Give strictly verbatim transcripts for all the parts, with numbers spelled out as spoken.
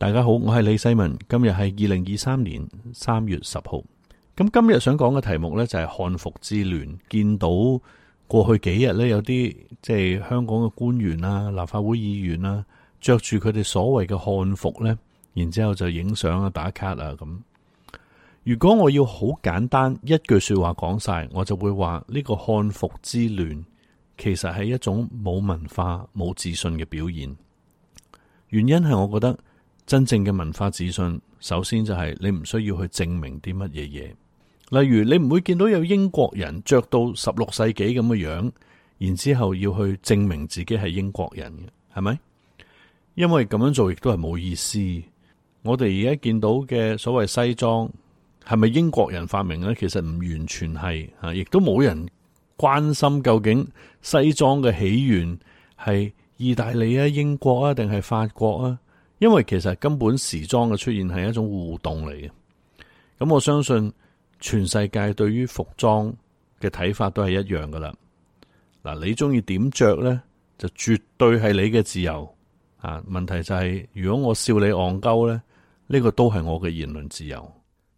大家好，我係李世民。今日係二零二三年三月十號。咁今日想講嘅題目呢，就係漢服之亂。見到過去幾日呢，有啲即係香港嘅官員啊、立法會議員啊，着住佢哋所謂嘅漢服呢，然之後就影相啊、打卡啊咁。如果我要好簡單一句說話講晒，我就會話呢個漢服之亂其實係一種冇文化、冇自信嘅表現。原因係我覺得真正嘅文化自信，首先就係你唔需要去證明啲乜嘢嘢。例如你唔會見到有英國人着到十六世紀咁嘅樣，然之後要去證明自己係英國人嘅，係咪？因為咁樣做亦都係冇意思。我哋而家見到嘅所謂西裝，係咪英國人發明呢？其實唔完全係啊，亦都冇人關心究竟西裝嘅起源係意大利啊、英國啊定係法國啊？因為其實根本時裝嘅出現係一種互動嚟嘅。咁我相信全世界對於服裝嘅睇法都係一樣噶啦。嗱，你中意點着呢，就絕對係你嘅自由啊。問題就係，如果我笑你戇鳩呢，呢個都係我嘅言論自由。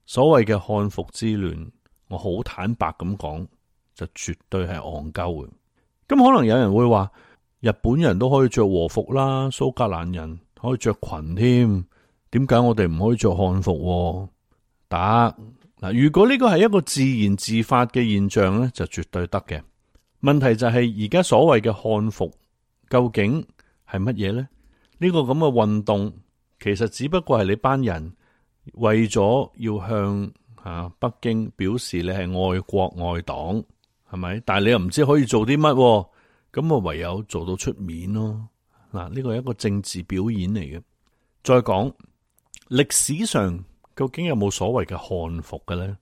所謂嘅漢服之亂，我好坦白咁講，就絕對係戇鳩嘅。咁可能有人會話，日本人都可以着和服啦，蘇格蘭人可以着裙添，點解我哋唔可以着漢服？得嗱，如果呢個係一個自然自發嘅現象呢，就絕對得嘅。問題就係而家所謂嘅漢服究竟係乜嘢呢？呢個咁嘅運動其實只不過係你班人為咗要向啊北京表示你係愛國愛黨，係咪？但係你又唔知可以做啲乜。咁我唯有做到出面咯。嗱，呢個係一個政治表演嚟嘅。再講歷史上究竟有冇所謂嘅漢服嘅咧？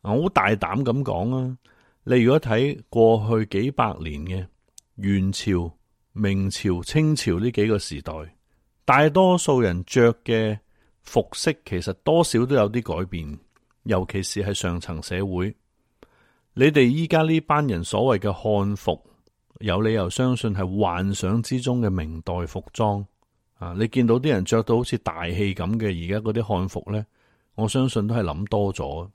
我好大膽咁講啊！你如果睇過去幾百年嘅元朝、明朝、清朝呢幾個時代，大多數人着嘅服飾其實多少都有啲改變，尤其是係上層社會。你哋依家呢班人所謂嘅漢服，有理由相信係幻想之中嘅明代服裝啊！你見到啲人着到好似大戲咁嘅，而家嗰啲漢服呢，我相信都係諗多咗。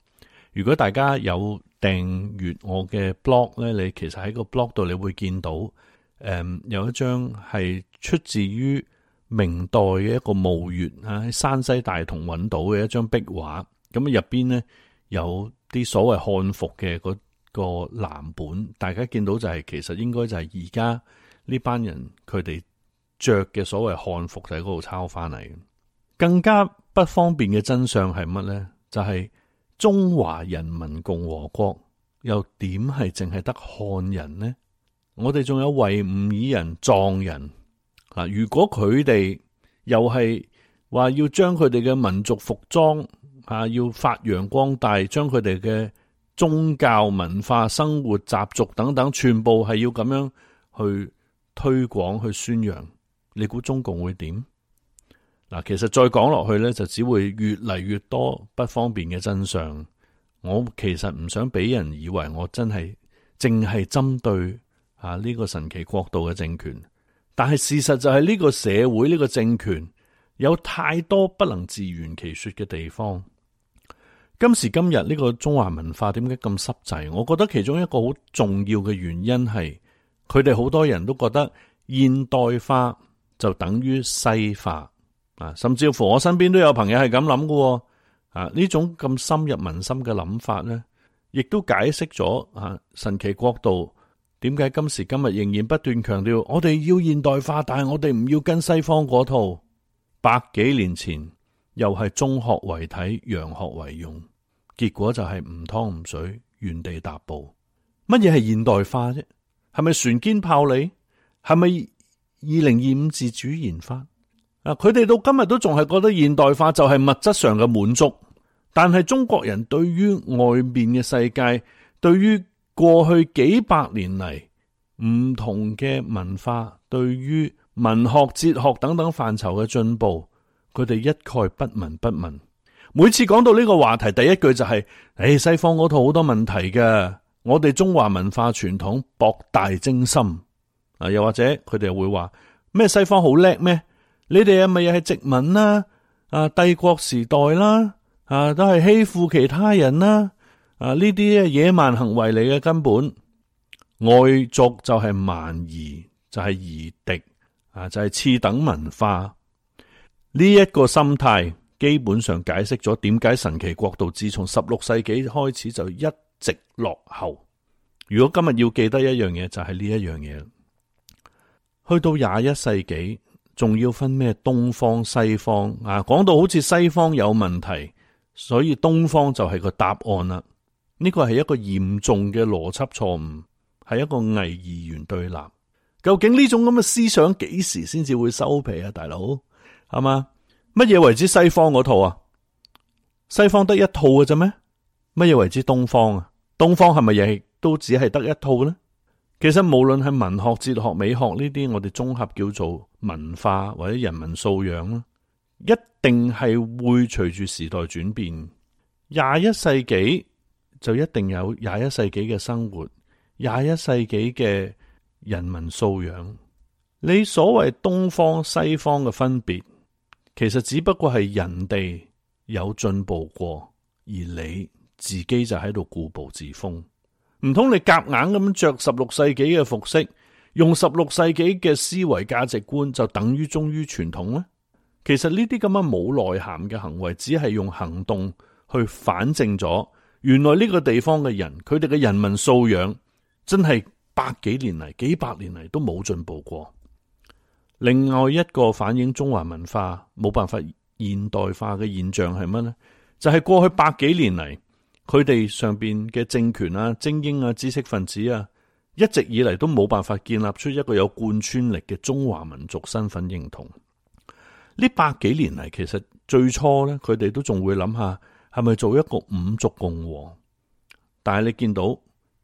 如果大家有訂閱我嘅 blog 呢，你其實喺個 blog 度你會見到，誒、嗯、有一張係出自於明代嘅一個墓穴啊，喺山西大同揾到嘅一張壁畫。咁入邊呢，有啲所謂漢服嘅嗰個藍本，大家見到就係、是、其實應該就係而家呢班人佢哋着嘅所謂漢服就喺嗰度抄翻嚟。更加不方便嘅真相係乜呢？就係、是、中華人民共和國又點係淨係得漢人呢？我哋仲有維吾爾人、藏人啊！如果佢哋又係話要將佢哋嘅民族服裝啊要發揚光大，將佢哋嘅宗教文化、生活習俗等等，全部係要咁樣去推廣、去宣揚。你估中共會點？嗱，其實再講落去呢，就只會越嚟越多不方便嘅真相。我其實唔想俾人以為我真係淨係針對啊呢個神奇國度嘅政權，但係事實就係呢個社會、呢個政權有太多不能自圓其說嘅地方。今時今日呢個中華文化點解咁濕滯？我覺得其中一個好重要嘅原因係，佢哋好多人都覺得現代化就等於西化啊，甚至乎我身邊都有朋友係咁諗嘅啊。呢種咁深入民心嘅諗法呢，亦都解釋咗啊神奇國度點解今時今日仍然不斷強調我哋要現代化，但係我哋唔要跟西方嗰套。百幾年前又係中學為體，洋學為用，結果就係唔湯唔水，原地踏步。乜嘢係現代化啫？係咪船堅炮利？係咪二零二五自主研發？啊，佢哋到今日都仲係覺得現代化就係物質上嘅滿足，但係中國人對於外面嘅世界，對於過去幾百年嚟唔同嘅文化，對於文學、哲學等等範疇嘅進步，佢哋一概不聞不問。每次講到呢個話題，第一句就係、是：，誒、哎，西方嗰套好多問題嘅，我哋中華文化傳統博大精深。啊，又或者佢哋會話咩西方好叻咩？你哋係咪又係殖民啊？啊帝國時代啦，啊都係欺負其他人啦，啊呢啲野蠻行為嚟嘅，根本外族就係蠻夷，就係夷狄，啊就係次等文化。呢一個心態基本上解釋咗點解神奇國度自從十六世紀開始就一直落後。如果今日要記得一樣嘢，就係呢一樣嘢。去到廿一世紀，仲要分咩東方西方啊？講到好似西方有問題，所以東方就係個答案啦。呢個係一個嚴重嘅邏輯錯誤，係一個偽二元對立。究竟呢種咁嘅思想幾時先至會收皮啊？大佬係嘛？乜嘢為之西方嗰套啊？西方得一套嘅啫咩？乜嘢為之東方啊？東方係咪亦都只係得一套呢？其實無論係文學、哲學、美學呢啲，我哋綜合叫做文化或者人民素養啦，一定係會隨住時代轉變。廿一世紀就一定有廿一世紀嘅生活，廿一世紀嘅人民素養。你所謂東方西方嘅分別，其實只不過係人哋有進步過，而你自己就喺度固步自封。唔通你夾硬咁着十六世紀嘅服飾，用十六世紀嘅思維價值觀，就等於忠於傳統呢？其實呢啲咁嘅冇內涵嘅行為，只係用行動去反證咗，原來呢個地方嘅人，佢哋嘅人民素養真係百幾年嚟、幾百年嚟都冇進步過。另外一個反映中華文化冇辦法現代化嘅現象係乜呢？就係、是、過去百幾年嚟，佢哋上邊嘅政權啊、精英啊、知識分子啊，一直以嚟都冇辦法建立出一個有貫穿力嘅中華民族身份認同。呢百幾年嚟，其實最初咧，佢哋都仲會諗下係咪做一個五族共和，但係你見到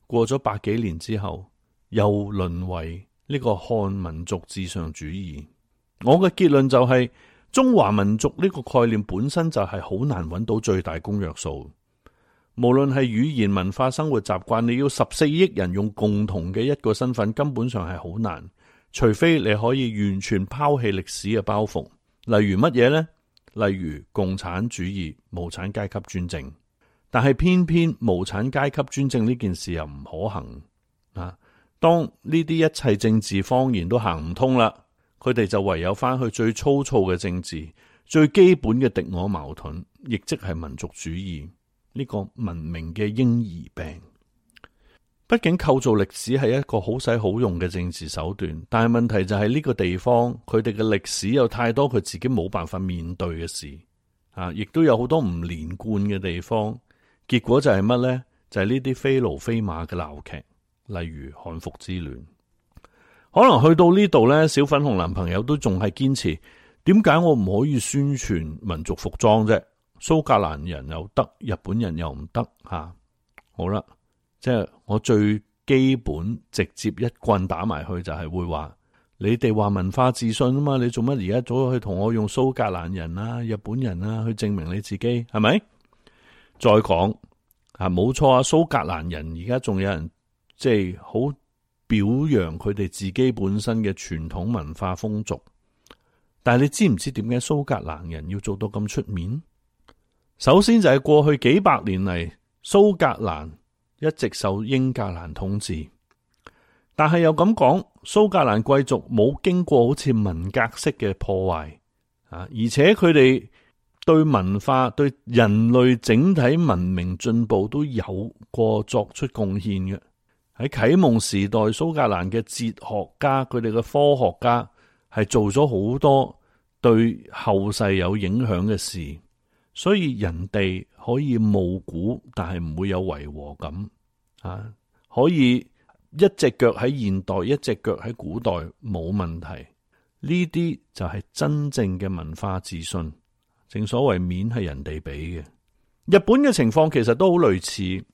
過咗百幾年之後，又淪為呢個漢民族至上主義。我嘅結論就係、是、中華民族呢個概念本身就係好難揾到最大公約數。無論係語言、文化、生活習慣，你要十四億人用共同嘅一個身份，根本上係好難。除非你可以完全拋棄歷史嘅包袱，例如乜嘢呢？例如共產主義、無產階級專政。但係偏偏無產階級專政呢件事又唔可行啊！當呢啲一切政治謊言都行唔通啦，佢哋就唯有翻去最粗糙嘅政治，最基本嘅敵我矛盾，亦即係民族主義。呢個文明嘅嬰兒病，畢竟構造歷史係一個好使好用嘅政治手段，但係問題就係呢個地方佢哋嘅歷史有太多佢自己冇辦法面對嘅事啊，亦都有好多唔連貫嘅地方，結果就係乜呢？就係呢啲非驢非馬嘅鬧劇，例如漢服之亂。可能去到呢度呢，小粉紅男朋友都仲係堅持，點解我唔可以宣傳民族服裝啫？蘇格蘭人又得，日本人又唔得吓。好啦，即係我最基本直接一棍打埋去，就係會話你哋話文化自信啊嘛，你做乜而家走去同我用蘇格蘭人啊、日本人啊去證明你自己係咪？再講啊，冇錯啊，蘇格蘭人而家仲有人即係好表揚佢哋自己本身嘅傳統文化風俗，但係你知唔知點解蘇格蘭人要做到咁出面？首先就係過去幾百年嚟，蘇格蘭一直受英格蘭統治，但係又咁講，蘇格蘭貴族冇經過好似文革式嘅破壞啊，而且佢哋對文化、對人類整體文明進步都有過作出貢獻嘅。喺啟蒙時代，蘇格蘭嘅哲學家、佢哋嘅科學家係做咗好多對後世有影響嘅事。所以人哋可以冒古，但係唔會有違和感啊！可以一隻腳喺現代，一隻腳喺古代，冇問題。呢啲就係真正嘅文化自信。正所謂面係人哋俾嘅。日本嘅情況其實都好類似。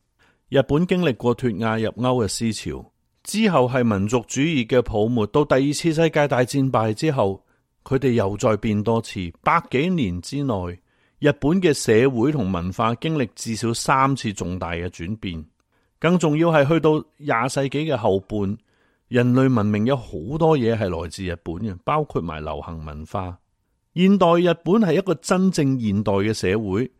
日本經歷過脫亞入歐嘅思潮，之後係民族主義嘅泡沫。到第二次世界大戰敗之後，佢哋又再變多次。百幾年之內，日本嘅社會同文化經歷至少三次重大嘅轉變，更重要係去到廿世紀嘅後半，人類文明有好多嘢係來自日本嘅，包括埋流行文化。現代日本係一個真正現代嘅社會，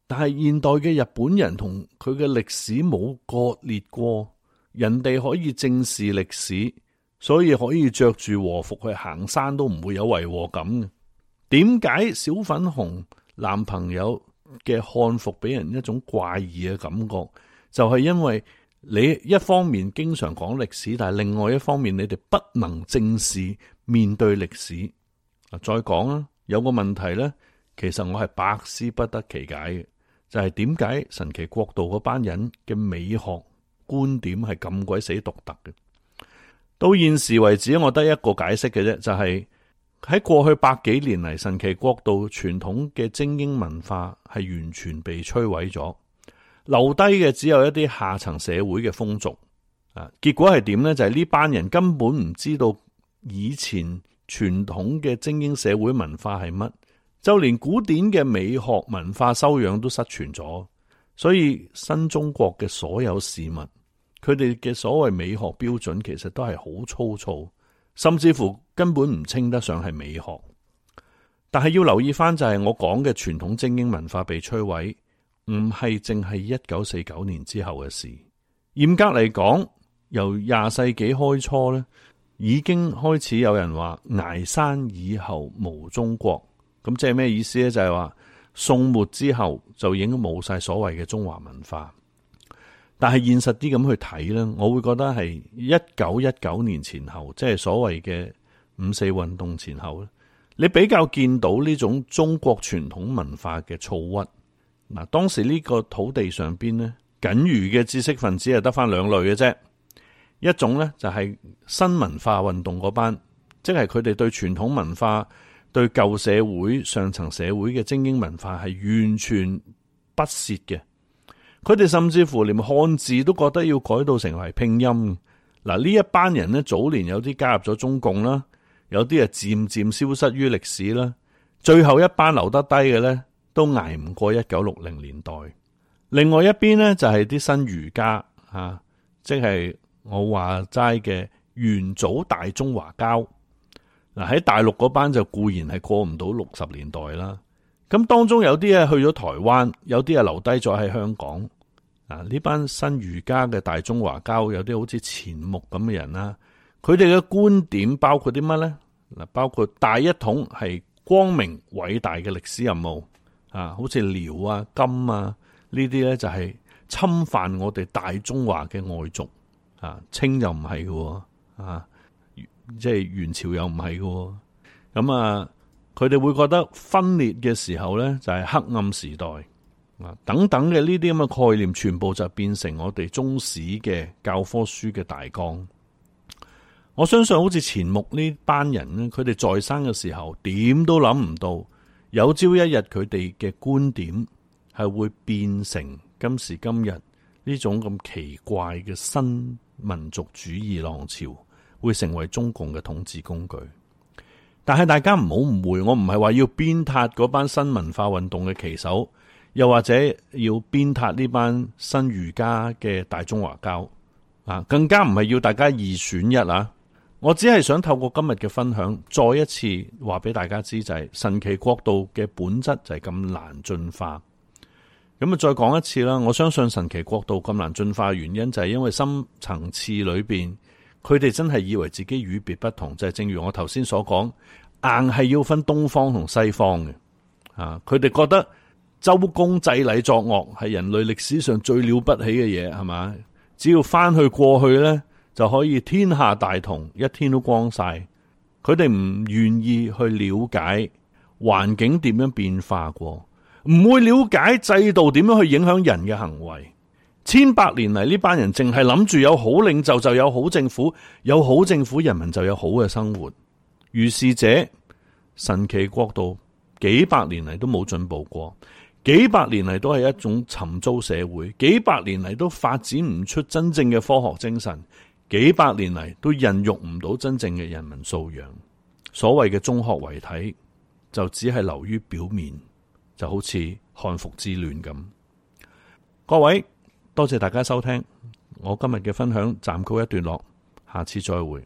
但係現代嘅日本人同佢嘅歷史冇割裂過，人哋可以正視歷史，所以可以着住和服去行山都唔會有違和感嘅。點解小粉紅男朋友嘅漢服俾人一種怪異嘅感覺？就係因為你一方面經常講歷史，但係另外一方面你哋不能正視面對歷史。再講啊，有個問題呢，其實我係百思不得其解嘅，就係點解神奇國度嗰班人嘅美學觀點係咁鬼死獨特嘅？到現時為止，我得一個解釋嘅啫，就係喺過去百幾年嚟，神奇國度傳統嘅精英文化係完全被摧毀咗，留低嘅只有一啲下層社會嘅風俗啊。結果係點呢？就係呢班人根本唔知道以前傳統嘅精英社會文化係乜，就連古典嘅美學文化修養都失傳咗。所以新中國嘅所有事物，佢哋嘅所謂美學標準其實都係好粗糙，甚至乎根本唔稱得上係美學。但係要留意翻，就係我講嘅傳統精英文化被摧毀，唔係淨係一九四九年之後嘅事。嚴格嚟講，由廿世紀開初咧，已經開始有人話崖山以後無中國。咁即係咩意思咧？就係話宋末之後就已經冇晒所謂嘅中華文化。但係現實啲咁去睇咧，我會覺得係一九一九年前後，即係所謂嘅五四運動前後咧，你比較見到呢種中國傳統文化嘅躁鬱。嗱，當時呢個土地上邊咧，僅餘嘅知識分子係得翻兩類嘅啫。一種咧就係新文化運動嗰班，即係佢哋對傳統文化、對舊社會、上層社會嘅精英文化係完全不屑嘅。佢哋甚至乎連漢字都覺得要改到成為拼音。嗱，呢一班人呢，早年有啲加入咗中共啦，有啲係漸漸消失於歷史啦。最後一班留得低嘅呢，都捱唔過一九六零年代。另外一邊呢，就係啲新儒家啊，即係我話齋嘅元祖大中華膠。嗱，喺大陸嗰班就固然係過唔到六十年代啦。咁當中有啲係去咗台灣，有啲係留低咗喺香港。啊！呢班新儒家嘅大中華膠，有啲好似錢穆咁嘅人啦，佢哋嘅觀點包括啲乜呢？嗱，包括大一統係光明偉大嘅歷史任務啊，好似遼啊、金啊呢啲咧就係侵犯我哋大中華嘅外族啊，清又唔係嘅，啊，即係元朝又唔係嘅，咁啊，佢哋會覺得分裂嘅時候咧就係黑暗時代。等等嘅呢啲咁嘅概念，全部就變成我哋中史嘅教科書嘅大綱。我相信好似錢穆呢班人咧，佢哋在生嘅時候，點都諗唔到，有朝一日佢哋嘅觀點係會變成今時今日呢種咁奇怪嘅新民族主義浪潮，會成為中共嘅統治工具。但係大家唔好誤會，我唔係話要鞭撻嗰班新文化運動嘅旗手。又或者要鞭撻呢班新儒家嘅大中華膠啊，更加唔係要大家二選一啊！我只係想透過今日嘅分享，再一次話俾大家知，就係神奇國度嘅本質就係咁難進化。咁啊，再講一次啦，我相信神奇國度咁難進化嘅原因就係因為深層次裏邊，佢哋真係以為自己與別不同，就係正如我頭先所講，硬係要分東方同西方嘅啊！佢哋覺得周公祭禮作樂係人類歷史上最了不起嘅嘢，係嘛？只要翻去過去呢，就可以天下大同，一天都光晒。佢哋唔願意去了解環境點樣變化過，唔會了解制度點樣去影響人嘅行為。千百年嚟，呢班人淨係諗住有好領袖就有好政府，有好政府人民就有好嘅生活。如是者，神奇國度幾百年嚟都冇進步過。幾百年嚟都係一種沉糟社會，幾百年嚟都發展唔出真正嘅科學精神，幾百年嚟都孕育唔到真正嘅人民素養。所謂嘅中學為體，就只係流於表面，就好似漢服之亂咁。各位，多謝大家收聽，我今日嘅分享暫告一段落，下次再會。